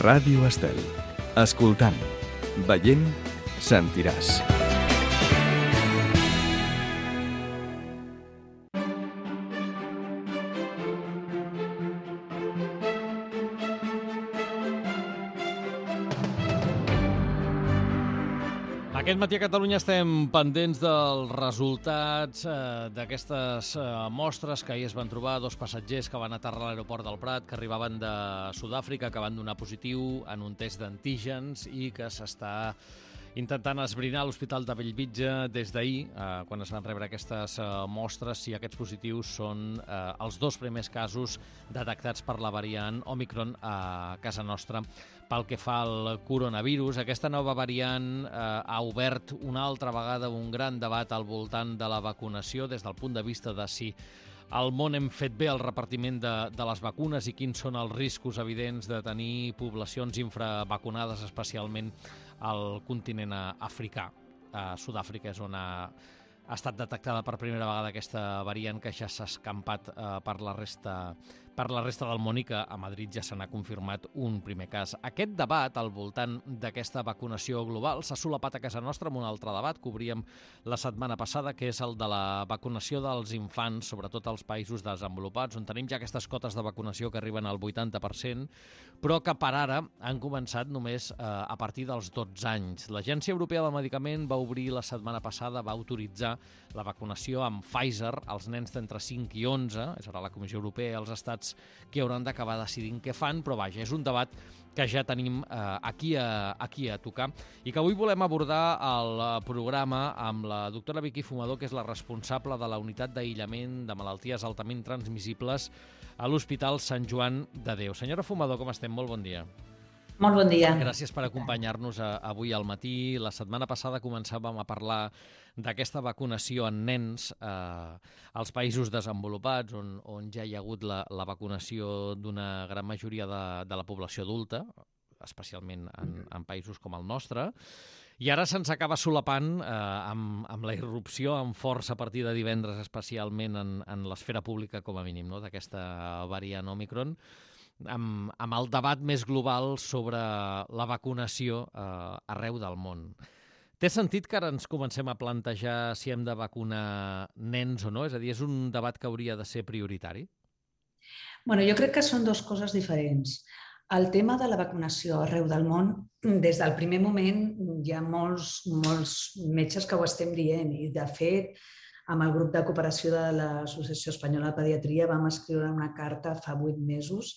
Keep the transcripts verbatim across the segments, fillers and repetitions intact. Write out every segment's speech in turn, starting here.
Ràdio Estel. Escoltant, veient, sentiràs. Aquest matí a Catalunya estem pendents dels resultats eh, d'aquestes eh, mostres que ahir es van trobar, dos passatgers que van aterrar a l'aeroport del Prat, que arribaven de Sud-àfrica, que van donar positiu en un test d'antígens i que s'està intentant esbrinar a l'Hospital de Bellvitge des d'ahir, eh, quan es van rebre aquestes eh, mostres, si aquests positius són eh, els dos primers casos detectats per la variant Òmicron a casa nostra. Pel que fa al coronavirus, aquesta nova variant eh, ha obert una altra vegada un gran debat al voltant de la vacunació des del punt de vista de si al món hem fet bé el repartiment de, de les vacunes i quins són els riscos evidents de tenir poblacions infravacunades, especialment al continent africà. A Sud-àfrica és on ha, ha estat detectada per primera vegada aquesta variant que ja s'ha escampat eh, per la resta per la resta del món i que a Madrid ja se n'ha confirmat un primer cas. Aquest debat al voltant d'aquesta vacunació global s'ha solapat a casa nostra amb un altre debat que obríem la setmana passada, que és el de la vacunació dels infants, sobretot als països desenvolupats, on tenim ja aquestes cotes de vacunació que arriben al vuitanta per cent, però que per ara han començat només eh, a partir dels dotze anys. L'Agència Europea del Medicament va obrir la setmana passada, va autoritzar la vacunació amb Pfizer als nens d'entre cinc i onze, és ara la Comissió Europea i els estats que hauran d'acabar decidint què fan, però vaja, és un debat que ja tenim eh, aquí, a, aquí a tocar i que avui volem abordar al programa amb la doctora Vicky Fumador, que és la responsable de la unitat d'aïllament de malalties altament transmissibles a l'Hospital Sant Joan de Déu. Senyora Fumador, com estem? Molt bon dia. Molt bon dia. Gràcies per acompanyar-nos avui al matí. La setmana passada començàvem a parlar d'aquesta vacunació en nens eh, als països desenvolupats, on, on ja hi ha hagut la, la vacunació d'una gran majoria de, de la població adulta, especialment en, en països com el nostre. I ara se'ns acaba solapant eh, amb, amb la irrupció en força a partir de divendres, especialment en, en l'esfera pública, com a mínim, no?, d'aquesta variant Òmicron, amb, amb el debat més global sobre la vacunació eh, arreu del món. Té sentit que ara ens comencem a plantejar si hem de vacunar nens o no? És a dir, és un debat que hauria de ser prioritari? Bueno, jo crec que són dues coses diferents. El tema de la vacunació arreu del món, des del primer moment hi ha molts, molts metges que ho estem dient i, de fet, amb el grup de cooperació de l'Associació Espanyola de Pediatria vam escriure una carta fa vuit mesos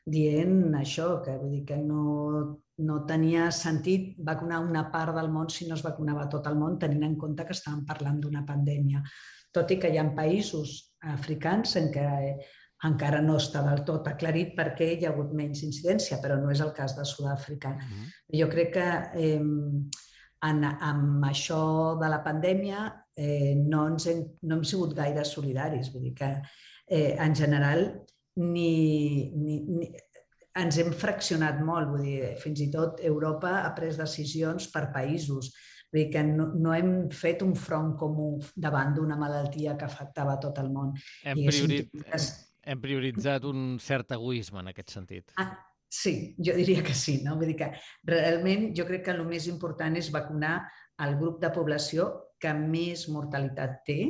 dient això, que vull dir que no, no tenia sentit vacunar una part del món si no es vacunava tot el món, tenint en compte que estàvem parlant d'una pandèmia. Tot i que hi ha països africans en què encara no està del tot aclarit perquè hi ha hagut menys incidència, però no és el cas de Sud-àfrica. Uh-huh. Jo crec que eh, en, amb això de la pandèmia eh, no, ens hem, no hem sigut gaire solidaris. Vull dir que eh, en general Ni, ni, ni, ens hem fraccionat molt, vull dir, fins i tot Europa ha pres decisions per països, vull dir que no, no hem fet un front comú davant d'una malaltia que afectava tot el món. Hem, priori... hem, hem prioritzat un cert egoisme en aquest sentit. Ah, sí, jo diria que sí, no? Vull dir que realment jo crec que el més important és vacunar el grup de població que més mortalitat té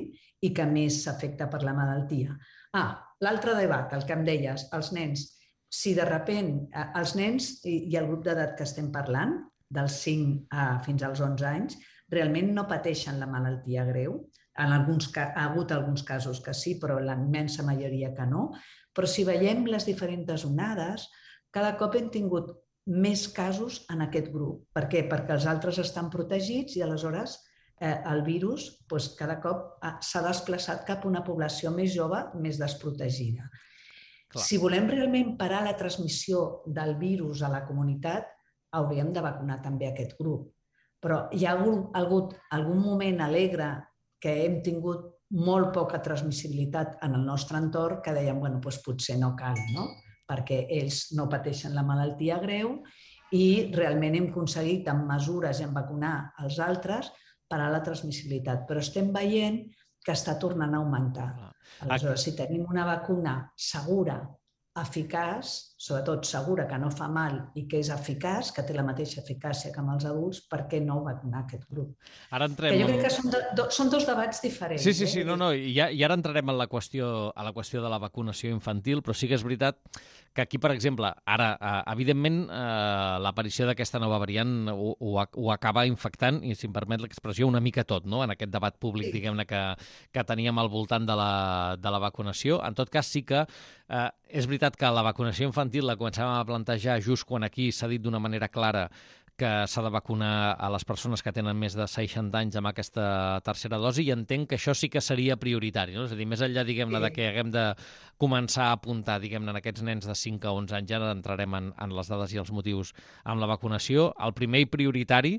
i que més s'afecta per la malaltia. Ah, l'altre debat, el que em deies, els nens. Si de sobte els nens i el grup d'edat que estem parlant, dels cinc fins als onze anys, realment no pateixen la malaltia greu. En alguns, ha hagut alguns casos que sí, però la immensa majoria que no. Però si veiem les diferents onades, cada cop hem tingut més casos en aquest grup. Per què? Perquè els altres estan protegits i aleshores el virus cada cop s'ha desplaçat cap a una població més jove, més desprotegida. Clar. Si volem realment parar la transmissió del virus a la comunitat, hauríem de vacunar també aquest grup. Però hi ha hagut algun moment alegre que hem tingut molt poca transmissibilitat en el nostre entorn que dèiem, bueno, doncs potser no cal, no? Perquè ells no pateixen la malaltia greu i realment hem aconseguit amb mesures i en vacunar els altres parar la transmissibilitat, però estem veient que està tornant a augmentar. Aleshores, si tenim una vacuna segura eficaç, sobretot segura, que no fa mal i que és eficaç, que té la mateixa eficàcia que amb els adults, per què no vacunar aquest grup? Ara entrem... Que jo crec que són, de, do, són dos debats diferents. Sí, sí, sí, eh? no, no, i, ja, i ara entrarem en la qüestió, a la qüestió de la vacunació infantil, però sí que és veritat que aquí, per exemple, ara, evidentment, eh, l'aparició d'aquesta nova variant ho, ho, ho acaba infectant, i si em permet l'expressió, una mica tot, no?, en aquest debat públic, sí. diguem-ne, que, que teníem al voltant de la, de la vacunació. En tot cas, sí que eh, és veritat que la vacunació infantil la començàvem a plantejar just quan aquí s'ha dit d'una manera clara que s'ha de vacunar a les persones que tenen més de seixanta anys amb aquesta tercera dosi, i entenc que això sí que seria prioritari, no? És a dir, més enllà, diguem-ne, de que haguem de començar a apuntar, diguem-ne, en aquests nens de cinc a onze anys, ja entrarem en, en les dades i els motius amb la vacunació. El primer i prioritari,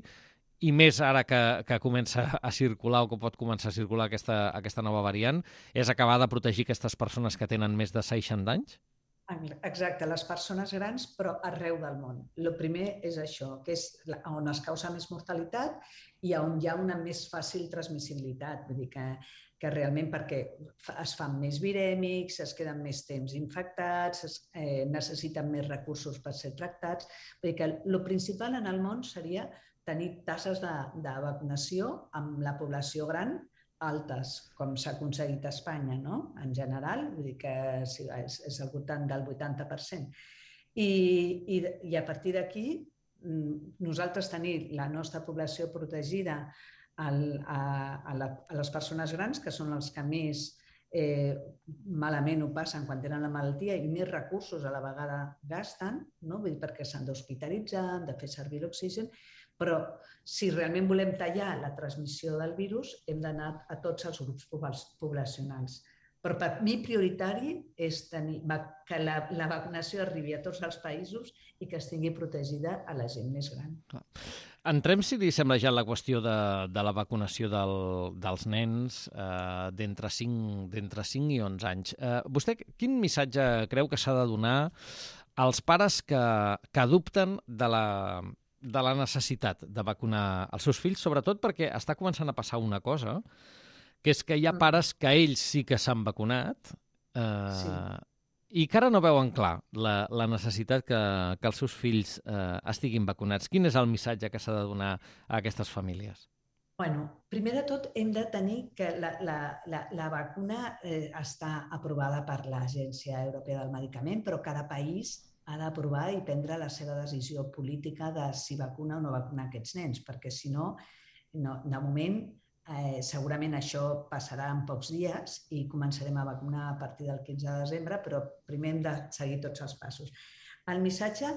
i més ara que, que comença a circular o que pot començar a circular aquesta, aquesta nova variant, és acabar de protegir aquestes persones que tenen més de seixanta anys? Exacte, les persones grans, però arreu del món. El primer és això, que és on es causa més mortalitat i on hi ha una més fàcil transmissibilitat. Vull dir que, que realment perquè es fan més virèmics, es queden més temps infectats, es, eh, necessiten més recursos per ser tractats. Vull dir que el principal en el món seria tenir tasses de, de vacunació amb la població gran altes, com s'ha aconseguit a Espanya, no? En general, vull dir que és, és al voltant del vuitanta per cent. I, i, i a partir d'aquí, nosaltres tenir la nostra població protegida al, a, a, la, a les persones grans, que són els que més eh, malament ho passen quan tenen la malaltia i més recursos a la vegada gasten, no? Vull dir, perquè s'han d'hospitalitzar, han de fer servir l'oxigen, però si realment volem tallar la transmissió del virus, hem d'anar a tots els grups poblacionals. Però per mi prioritari és tenir, que la, la vacunació arribi a tots els països i que estigui protegida a la gent més gran. Entrem, si li sembla, ja en la qüestió de, de la vacunació del, dels nens eh, d'entre cinc i onze anys. Eh, vostè quin missatge creu que s'ha de donar als pares que, que dubten de la... de la necessitat de vacunar els seus fills, sobretot perquè està començant a passar una cosa, que és que hi ha pares que ells sí que s'han vacunat eh, sí. i que ara no veuen clar la, la necessitat que, que els seus fills eh, estiguin vacunats. Quin és el missatge que s'ha de donar a aquestes famílies? Bueno, primer de tot hem de tenir que la, la, la, la vacuna eh, està aprovada per l'Agència Europea del Medicament, però cada país ha d'aprovar i prendre la seva decisió política de si vacuna o no vacuna aquests nens, perquè si no, no de moment, eh, segurament això passarà en pocs dies i començarem a vacunar a partir del quinze de desembre, però primer hem de seguir tots els passos. El missatge,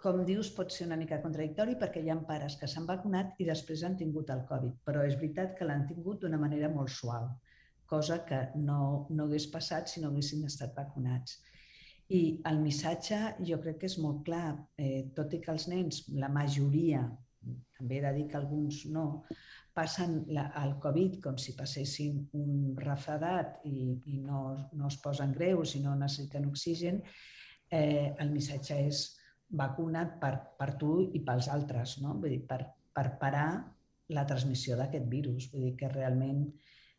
com dius, pot ser una mica contradictori perquè hi ha pares que s'han vacunat i després han tingut el Covid, però és veritat que l'han tingut d'una manera molt suau, cosa que no, no hagués passat si no haguessin estat vacunats. I el missatge jo crec que és molt clar, eh, tot i que els nens, la majoria, també he de dir que alguns no, passen la, el Covid com si passessin un refredat i, i no, no es posen greus i no necessiten oxigen, eh, el missatge és vacuna't per, per tu i pels altres, no? Vull dir, per, per parar la transmissió d'aquest virus. Vull dir que realment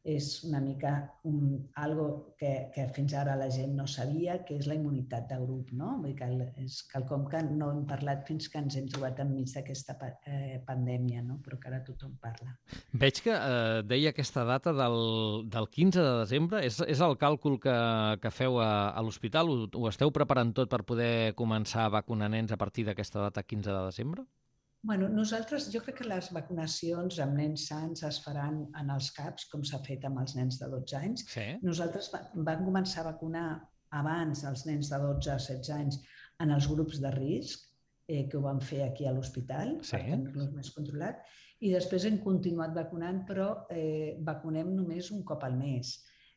és una mica un, algo que, que fins ara la gent no sabia, que és la immunitat de grup, no? Vull dir que és quelcom que no hem parlat fins que ens hem trobat enmig d'aquesta eh, pandèmia, no? Però que ara tothom parla. Veig que eh, deia aquesta data del, del quinze de desembre. És, és el càlcul que, que feu a, a l'hospital? Ho, ho esteu preparant tot per poder començar a vacunar nens a partir d'aquesta data quinze de desembre? Bueno, nosaltres, jo crec que les vacunacions amb nens sants es faran en els CAPs, com s'ha fet amb els nens de dotze anys. Sí. Nosaltres vam començar a vacunar abans els nens de dotze a setze anys en els grups de risc, eh, que ho vam fer aquí a l'hospital, sí, per tenir-los més controlat, i després hem continuat vacunant, però eh, vacunem només un cop al mes.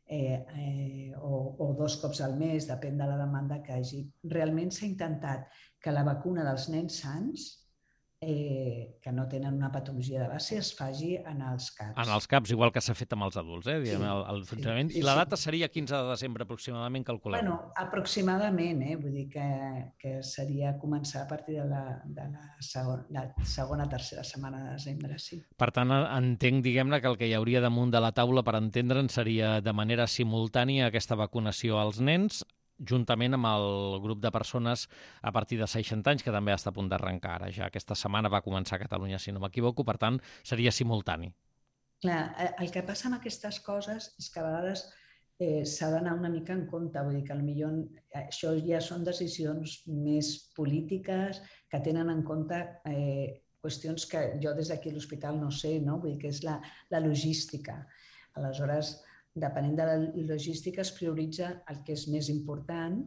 Eh, eh, o, o dos cops al mes, depèn de la demanda que hagi. Realment s'ha intentat que la vacuna dels nens sants Eh, que no tenen una patologia de base es faci en els CAPs. En els CAPs, igual que s'ha fet amb els adults, eh? Diguem, sí, el, el funcionament. Sí, sí, I la data seria quinze de desembre aproximadament, calculem. Bueno, aproximadament, eh? Vull dir que, que seria començar a partir de la, de la segona, la segona, tercera setmana de desembre, sí. Per tant, entenc, diguem-ne, que el que hi hauria damunt de la taula per entendre'n seria de manera simultània aquesta vacunació als nens, juntament amb el grup de persones a partir de seixanta anys, que també està a punt d'arrencar ara. Ja aquesta setmana va començar a Catalunya, si no m'equivoco, per tant, seria simultani. Clar, el que passa amb aquestes coses és que a vegades eh, s'ha d'anar una mica en compte, vull dir que potser això ja són decisions més polítiques que tenen en compte eh, qüestions que jo des d'aquí a l'hospital no sé, no? Vull dir que és la, la logística. Aleshores, depenent de la logística es prioritza el que és més important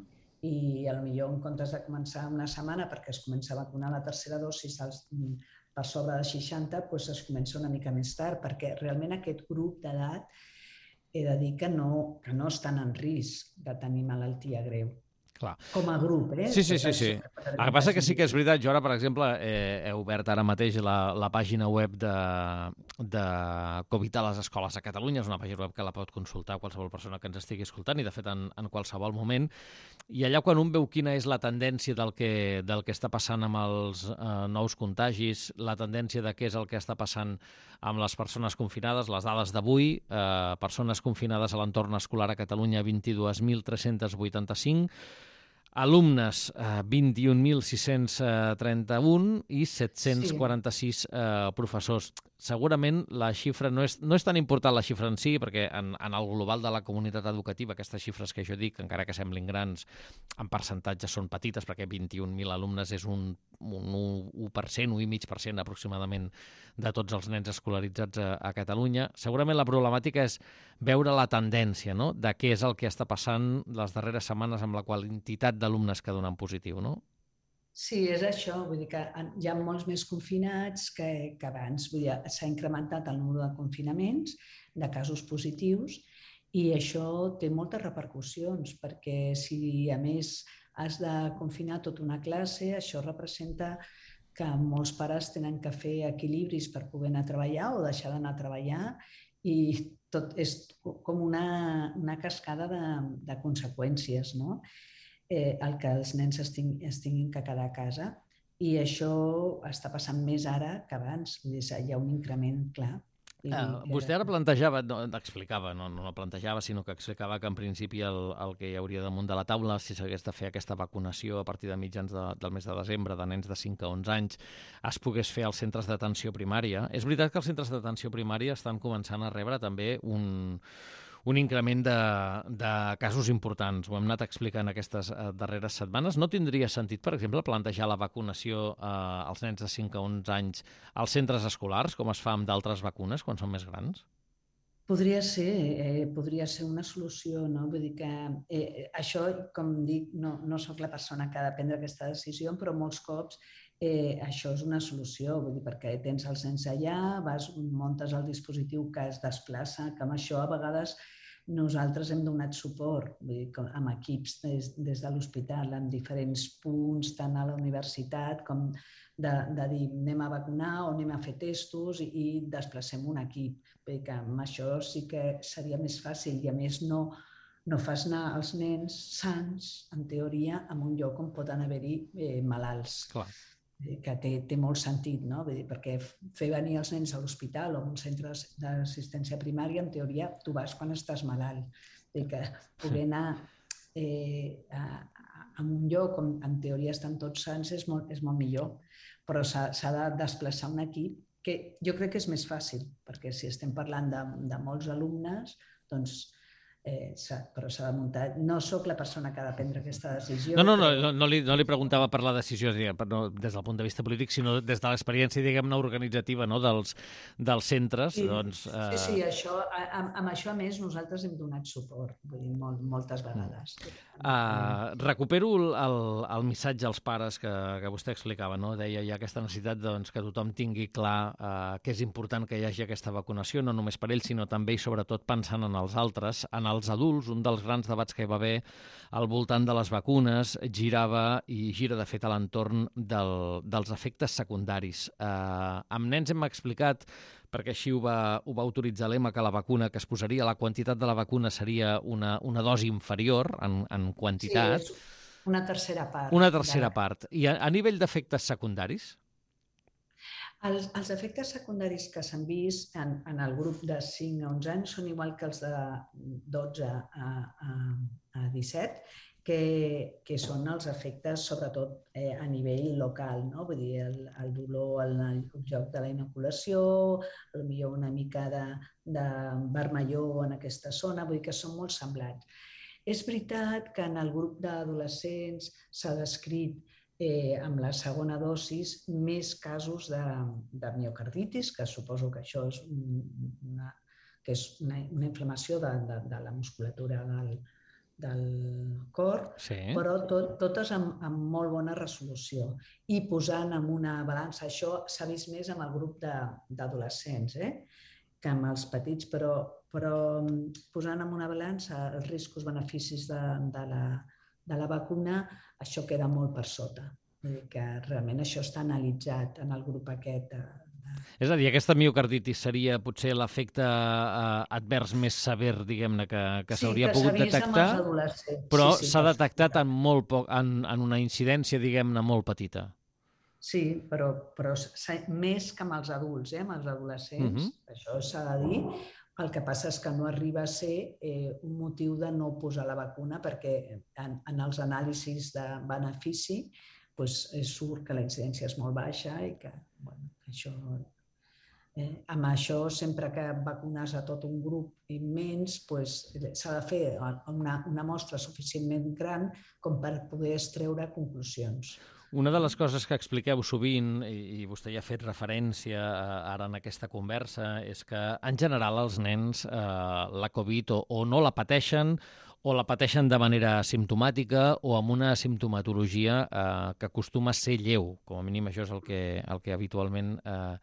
i potser en comptes de començar una setmana perquè es comença a vacunar la tercera dosi als per sobre de seixanta, doncs es comença una mica més tard, perquè realment aquest grup d'edat he de dir que no, que no estan en risc de tenir malaltia greu. Clar. Com a grup, eh? Sí, sí, sí. sí. El que passa que sí que és veritat. Jo ara, per exemple, he, he obert ara mateix la, la pàgina web de, de Covid a les escoles a Catalunya. És una pàgina web que la pot consultar qualsevol persona que ens estigui escoltant i, de fet, en, en qualsevol moment. I allà, quan un veu quina és la tendència del que, del que està passant amb els eh, nous contagis, la tendència de què és el que està passant amb les persones confinades, les dades d'avui, eh, persones confinades a l'entorn escolar a Catalunya, vint-i-dos mil tres-cents vuitanta-cinc, alumnes, eh, vint-i-un mil sis-cents trenta-un i set-cents quaranta-sis eh, professors. Segurament la xifra no és, no és tan important la xifra en si, perquè en, en el global de la comunitat educativa aquestes xifres que jo dic, encara que semblin grans, en percentatge són petites, perquè vint-i-un mil alumnes és un, un u per cent, un i mig per cent aproximadament de tots els nens escolaritzats a, a Catalunya. Segurament la problemàtica és veure la tendència, no?, de què és el que està passant les darreres setmanes amb la quantitat d'alumnes que donen positiu, no? Sí, és això. Vull dir que hi ha molts més confinats que, que abans. Vull dir, s'ha incrementat el número de confinaments, de casos positius, i això té moltes repercussions, perquè si a més has de confinar tota una classe, això representa que molts pares tenen que fer equilibris per poder anar a treballar o deixar d'anar a treballar, i tot és com una, una cascada de, de conseqüències, no? Eh, el que els nens es tinguin que quedar a casa, i això està passant més ara que abans. Vull dir, hi ha un increment clar. Uh, vostè ara plantejava, no, explicava, no, no plantejava, sinó que explicava que en principi el, el que hi hauria damunt de la taula, si s'hagués de fer aquesta vacunació a partir de mitjans de, del mes de desembre de nens de cinc a onze anys, es pogués fer als centres d'atenció primària. És veritat que els centres d'atenció primària estan començant a rebre també un... un increment de, de casos importants. Ho hem anat explicant aquestes eh, darreres setmanes. No tindria sentit, per exemple, plantejar la vacunació eh, als nens de cinc a onze anys als centres escolars, com es fa amb d'altres vacunes quan són més grans? Podria ser, eh, podria ser una solució, no? Vull dir que eh, això, com dic, no, no soc la persona que ha de prendre aquesta decisió, però molts cops eh, això és una solució, vull dir, perquè tens els nens allà, vas, muntes el dispositiu que es desplaça, que amb això a vegades nosaltres hem donat suport, vull dir, amb equips des, des de l'hospital, en diferents punts, tant a la universitat com de, de dir anem a vacunar o anem a fer testos i, i desplacem un equip. Vull dir que amb això sí que seria més fàcil i a més no, no fas anar els nens sants, en teoria, en un lloc on poden haver-hi eh, malalts. Clar. Que té, té molt sentit, no? Vull dir, perquè fer venir els nens a l'hospital o a un centre d'assistència primària, en teoria, tu vas quan estàs malalt. Vull dir que poder anar eh, a, a un lloc on en teoria estan tots sants és molt, és molt millor, però s'ha de desplaçar un equip que jo crec que és més fàcil, perquè si estem parlant de, de molts alumnes, doncs Eh, però s'ha de muntar. No sóc la persona que ha de prendre aquesta decisió. No, no, no, no, no, li, no li preguntava per la decisió diguem, no, des del punt de vista polític, sinó des de l'experiència, diguem-ne, organitzativa, no, dels, dels centres. Sí, doncs, eh... sí, sí, això, amb, amb això a més nosaltres hem donat suport, vull dir, molt, moltes vegades. Uh, recupero el, el missatge als pares que, que vostè explicava, no? Deia hi ha aquesta necessitat doncs, que tothom tingui clar uh, que és important que hi hagi aquesta vacunació, no només per ells, sinó també i sobretot pensant en els altres, en els adults. Un dels grans debats que hi va haver al voltant de les vacunes girava i gira, de fet, a l'entorn del, dels efectes secundaris. Uh, amb nens hem explicat, perquè així ho va, ho va autoritzar l'E M A, que la vacuna que es posaria, la quantitat de la vacuna seria una, una dosi inferior en, en quantitat. Sí, és una tercera part. Una tercera de... part. I a, a nivell d'efectes secundaris? Els, els efectes secundaris que s'han vist en, en el grup de cinc a onze anys són igual que els de dotze a, a, a disset, que, que són els efectes, sobretot eh, a nivell local, no? Vull dir, el, el dolor al lloc de la inoculació, potser una mica de, de vermellor en aquesta zona, vull dir que són molt semblants. És veritat que en el grup d'adolescents s'ha descrit eh, amb la segona dosis més casos de, de miocarditis, que suposo que això és una, que és una, una inflamació de, de, de la musculatura del, del cor, sí. Però tot, totes amb, amb molt bona resolució. I posant en una balança, això s'ha vist més amb el grup d'adolescents, eh? que amb els petits, però, però posant en una balança els riscos-beneficis de, de, la, de la vacuna, això queda molt per sota. Vull dir que realment això està analitzat en el grup aquest. És a dir, aquesta miocarditis seria potser l'efecte eh, advers més sever, diguem-ne, que, que s'hauria sí, pogut detectar, però s'ha sí, sí, detectat en, molt poc, en, en una incidència, diguem-ne, molt petita. Sí, però, però més que amb els adults, eh? Amb els adolescents, uh-huh. Això s'ha de dir. El que passa és que no arriba a ser eh, un motiu de no posar la vacuna perquè en, en els anàlisis de benefici pues, surt que la incidència és molt baixa i que bueno, això, eh, amb això sempre que vacunes a tot un grup immens pues, s'ha de fer una, una mostra suficientment gran com per poder extreure conclusions. Una de les coses que expliqueu sovint, i vostè ja ha fet referència ara en aquesta conversa, és que en general els nens eh, la Covid o, o no la pateixen o la pateixen de manera asimptomàtica o amb una simptomatologia eh, que acostuma a ser lleu. Com a mínim això és el que, el que habitualment eh,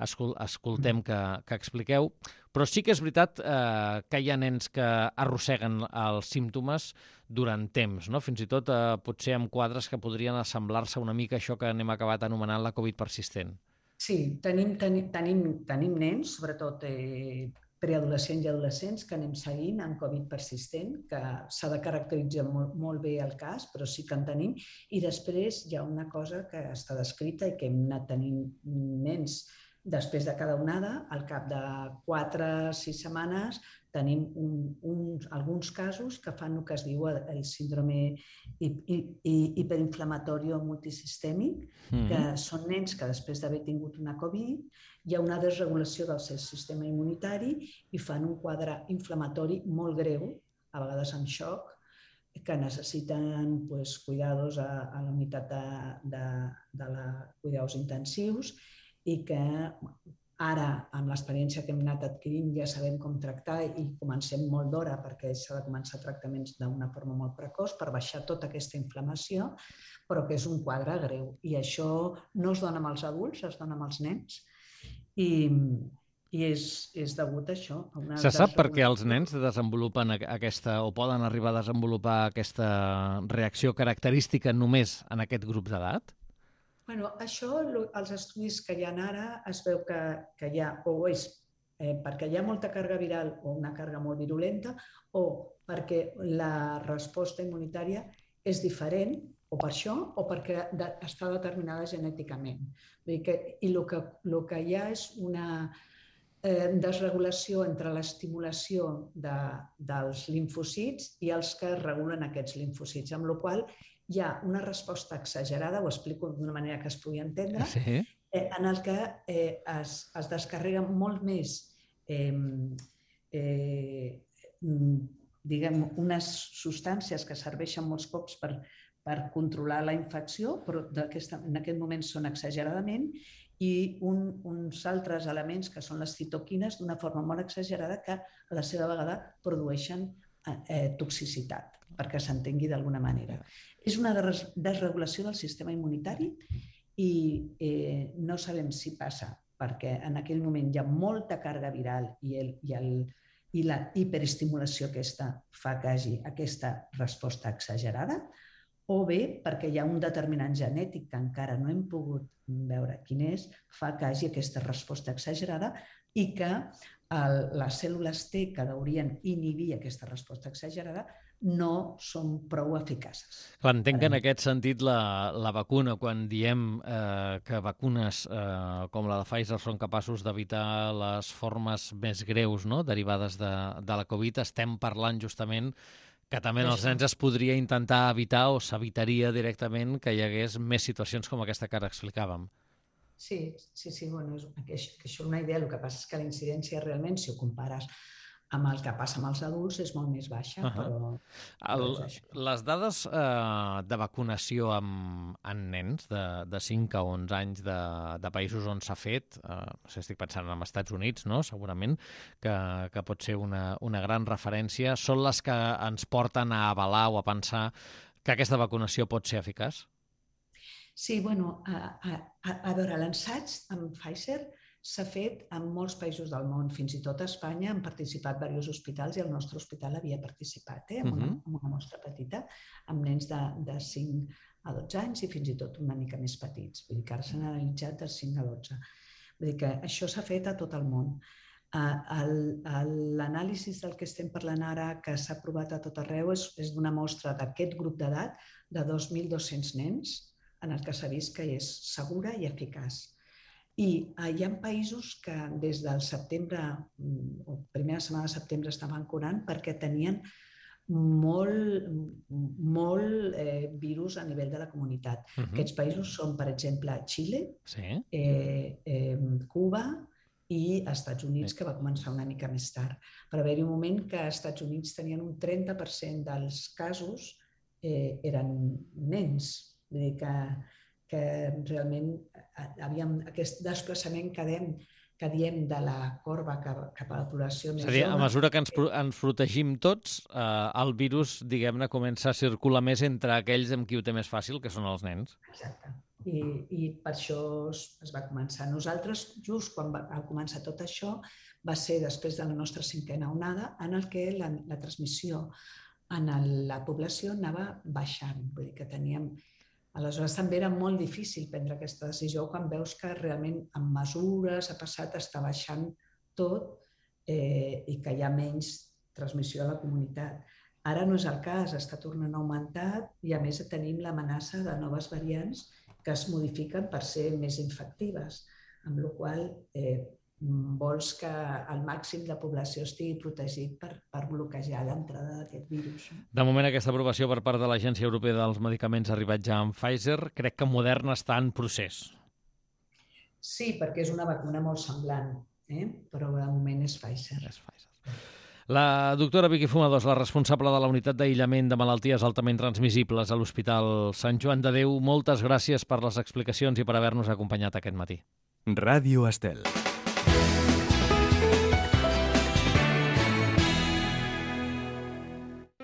escol escoltem que, que expliqueu. Però sí que és veritat eh, que hi ha nens que arrosseguen els símptomes durant temps, no? Fins i tot eh, potser amb quadres que podrien assemblar-se una mica a això que n'hem acabat anomenant la Covid persistent. Sí, tenim, tenim, tenim, tenim nens, sobretot eh, preadolescents i adolescents, que anem seguint amb Covid persistent, que s'ha de caracteritzar molt, molt bé el cas, però sí que en tenim. I després hi ha una cosa que està descrita i que hem anat tenint nens després de cada onada, al cap de quatre o sis setmanes, tenim un, un, alguns casos que fan el que es diu el síndrome hiperinflamatori multisistèmic, mm-hmm. que són nens que després d'haver tingut una Covid hi ha una desregulació del seu sistema immunitari i fan un quadre inflamatori molt greu, a vegades amb xoc, que necessiten pues, cuidados a, a la unitat de, de, de la, cuidados intensius i que ara, amb l'experiència que hem anat adquirint, ja sabem com tractar i comencem molt d'hora perquè s'ha de començar tractaments d'una forma molt precoç per baixar tota aquesta inflamació, però que és un quadre greu. I això no es dona amb els adults, es dona amb els nens i, i és, és degut a això. A una Se sap per què els nens desenvolupen aquesta o poden arribar a desenvolupar aquesta reacció característica només en aquest grup d'edat? Bueno, això, els estudis que hi ha ara, es veu que, que hi ha, o és eh, perquè hi ha molta càrrega viral o una càrrega molt virulenta, o perquè la resposta immunitària és diferent, o per això, o perquè de, està determinada genèticament. Vull dir que, I el que, el que hi ha és una eh, desregulació entre l'estimulació de, dels limfocits i els que regulen aquests limfocits, amb la qual cosa hi ha una resposta exagerada, ho explico d'una manera que es pugui entendre, sí. eh, en el que eh, es, es descarreguen molt més eh, eh, diguem, unes substàncies que serveixen molts cops per, per controlar la infecció, però en aquest moment són exageradament, i un, uns altres elements que són les citoquines d'una forma molt exagerada que a la seva vegada produeixen eh, toxicitat, perquè s'entengui d'alguna manera. És una desregulació del sistema immunitari i eh, no sabem si passa perquè en aquell moment hi ha molta càrrega viral i, el, i, el, i la hiperestimulació aquesta fa que hi hagi aquesta resposta exagerada, o bé perquè hi ha un determinant genètic que encara no hem pogut veure quin és, fa que hi hagi aquesta resposta exagerada i que el, les cèl·lules T que haurien inhibir aquesta resposta exagerada no són prou eficaces. Clar, entenc que en aquest sentit la, la vacuna, quan diem eh, que vacunes eh, com la de Pfizer són capaços d'evitar les formes més greus, no?, derivades de, de la Covid, estem parlant justament Que també en els nens es podria intentar evitar o s'evitaria directament que hi hagués més situacions com aquesta que ara explicàvem. Sí, sí, sí, bueno, és, que això és una idea. El que passa és que la incidència realment, si ho compares amb el que passa amb els adults, és molt més baixa, uh-huh. però... El, les dades eh, de vacunació amb, en nens de, de cinc a onze anys de, de països on s'ha fet, eh, no sé, estic pensant en els Estats Units, no? Segurament, que, que pot ser una, una gran referència, són les que ens porten a avalar o a pensar que aquesta vacunació pot ser eficaç? Sí, bueno, a, a, a veure, l'ensaig amb Pfizer s'ha fet en molts països del món, fins i tot a Espanya han participat diversos hospitals i el nostre hospital havia participat, eh, amb, una, amb una mostra petita, amb nens de, de cinc a dotze anys i fins i tot una mica més petits. Vull dir que ara s'han analitzat de cinc a dotze. Vull dir que això s'ha fet a tot el món. L'anàlisi del que estem parlant ara, que s'ha aprovat a tot arreu, és, és d'una mostra d'aquest grup d'edat de dos mil dos-cents nens, en el que s'ha vist que és segura i eficaç. I hi ha països que des del setembre, o primera setmana de setembre, estaven curant perquè tenien molt, molt eh, virus a nivell de la comunitat. Uh-huh. Aquests països són, per exemple, Xile, sí. eh, eh, Cuba i Estats Units, que va començar una mica més tard. Per haver-hi un moment que als Estats Units tenien un trenta per cent dels casos eh, eren nens. Vull dir que, que realment havíem, aquest desplaçament que diem, que diem de la corba cap, cap a la població més jove... És a dir, a mesura que ens, ens protegim tots, eh, el virus, diguem-ne, comença a circular més entre aquells amb qui ho té més fàcil, que són els nens. Exacte. I, i per això es, es va començar. Nosaltres, just quan va, va començar tot això, va ser després de la nostra cinquena onada, en el que la, la transmissió en la població anava baixant. Vull dir que teníem... Aleshores també era molt difícil prendre aquesta decisió quan veus que realment amb mesures ha passat, està baixant tot eh, i que hi ha menys transmissió a la comunitat. Ara no és el cas, està tornant a augmentar i a més tenim l'amenaça de noves variants que es modifiquen per ser més infectives, amb la qual cosa eh, vols que el màxim de població estigui protegit per, per bloquejar l'entrada d'aquest virus. De moment, aquesta aprovació per part de l'Agència Europea dels Medicaments ha arribat ja amb Pfizer. Crec que Moderna està en procés. Sí, perquè és una vacuna molt semblant, eh? Però de moment és Pfizer. És Pfizer. La doctora Vicky Fumadors, la responsable de la unitat d'aïllament de malalties altament transmissibles a l'Hospital Sant Joan de Déu, moltes gràcies per les explicacions i per haver-nos acompanyat aquest matí. Ràdio Estel.